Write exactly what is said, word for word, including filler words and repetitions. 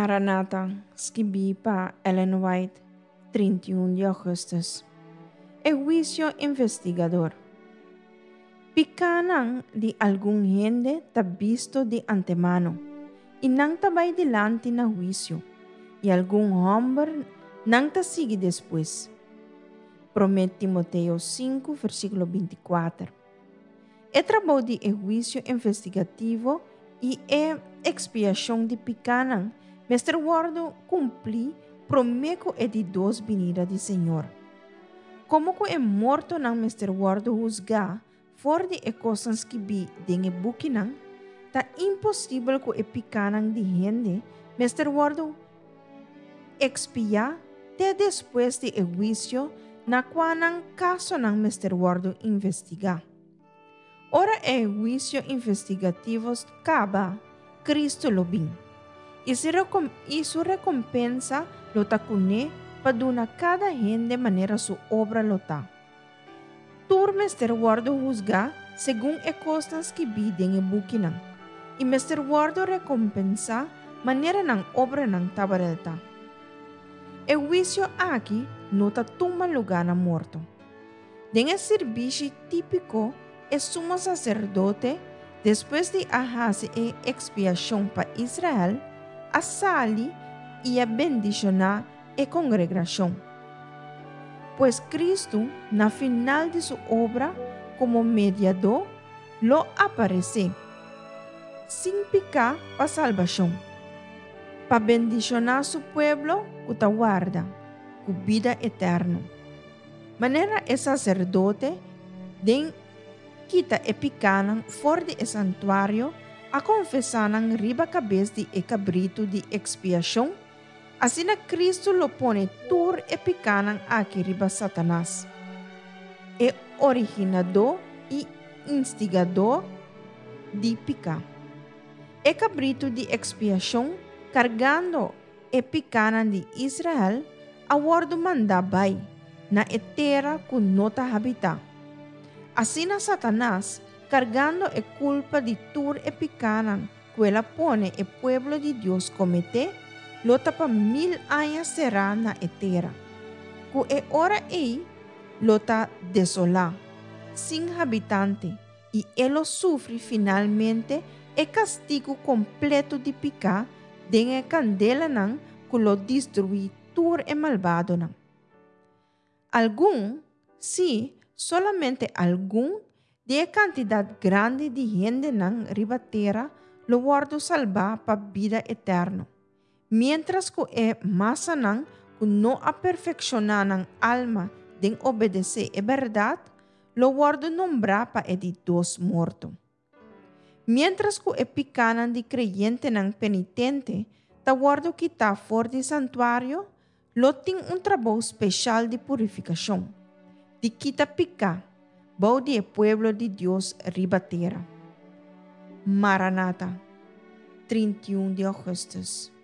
Maranata, skibí pa Ellen White, trinta i un di ougùstùs. E huisio investigador. Pikánan di algun hende ta bisto di antemano, i nan ta bai dilanti na huisio, i algun hòmber nan ta sigui despues. Promé Timoteo sinku, versíkulo binti kuater. E trabou di e huisio investigativo i e ekspiashon di pikánan mester wòrdu kumplí promé ku e di dos binida di Señor. Komo ku e mortonan mester wòrdu husgá for di e kosnan skibí den e bukinan, ta imposibel ku e pikánan di hende mester wòrdu ekspiá te despues di e huisio na kua nan kasonan mester wòrdu investigá. Ora e huisio investigativo kaba, Kristu lo bin, i su rekompensa lo ta kuné pa duna kada hende manera su obra lo ta. Tur mester wòrdu husgá segun e kosnan skibí den e bukinan, i mester wòrdu rekompensá manera nan obranan tabata. E huisio aki no ta tuma lugá na morto. Den e sirbishi típiko, e sumo saserdote, despues di a hasi e ekspiashon pa Israel, a sali i a bendishoná e kongregashon. Pues Kristu, na final di su obra komo mediadó, lo aparesé, sin piká pa salbashon, pa bendishoná su pueblo ku ta warda, ku bida eterno. Manera e saserdote den kita e pikánan for di e santuario a konfesá nan riba kabes di e kabritu di ekspiashon, asina Kristu lo pone tur e pikánan aki riba Satanas, e originadó i instigadó di piká. E kabritu di ekspiashon, kargando e pikánan di Israel, a wòrdu mandá bai na e tera ku no ta habitá. Asina Satanas, kargando e kulpa di tur e pikánan ku el a pone e pueblo di Dios kometé, lo ta pa mil aña será na e tera, ku e ora ei lo ta desolá, sin habitante, i e lo sufri finalmente e kastigu kompleto di piká den e kandelanan ku lo destruí tur e malbadonan. Algun, sí, solamente algun, di e kantidat grandi di hendenan riba tera lo wòrdu salbá pa bida eterno, miéntras ku e masanan ku no a perfekshoná nan alma den obedesé e bèrdat lo wòrdu nombrá pa e di dos morto. Miéntras ku e pikánan di kreyentenan penitente ta wòrdu kitá for di santuario, lo tin un trabou speshal di purifikashon, di kita piká bou di e pueblo di Dios riba tera. Maranata, trinta i un di ougùstùs.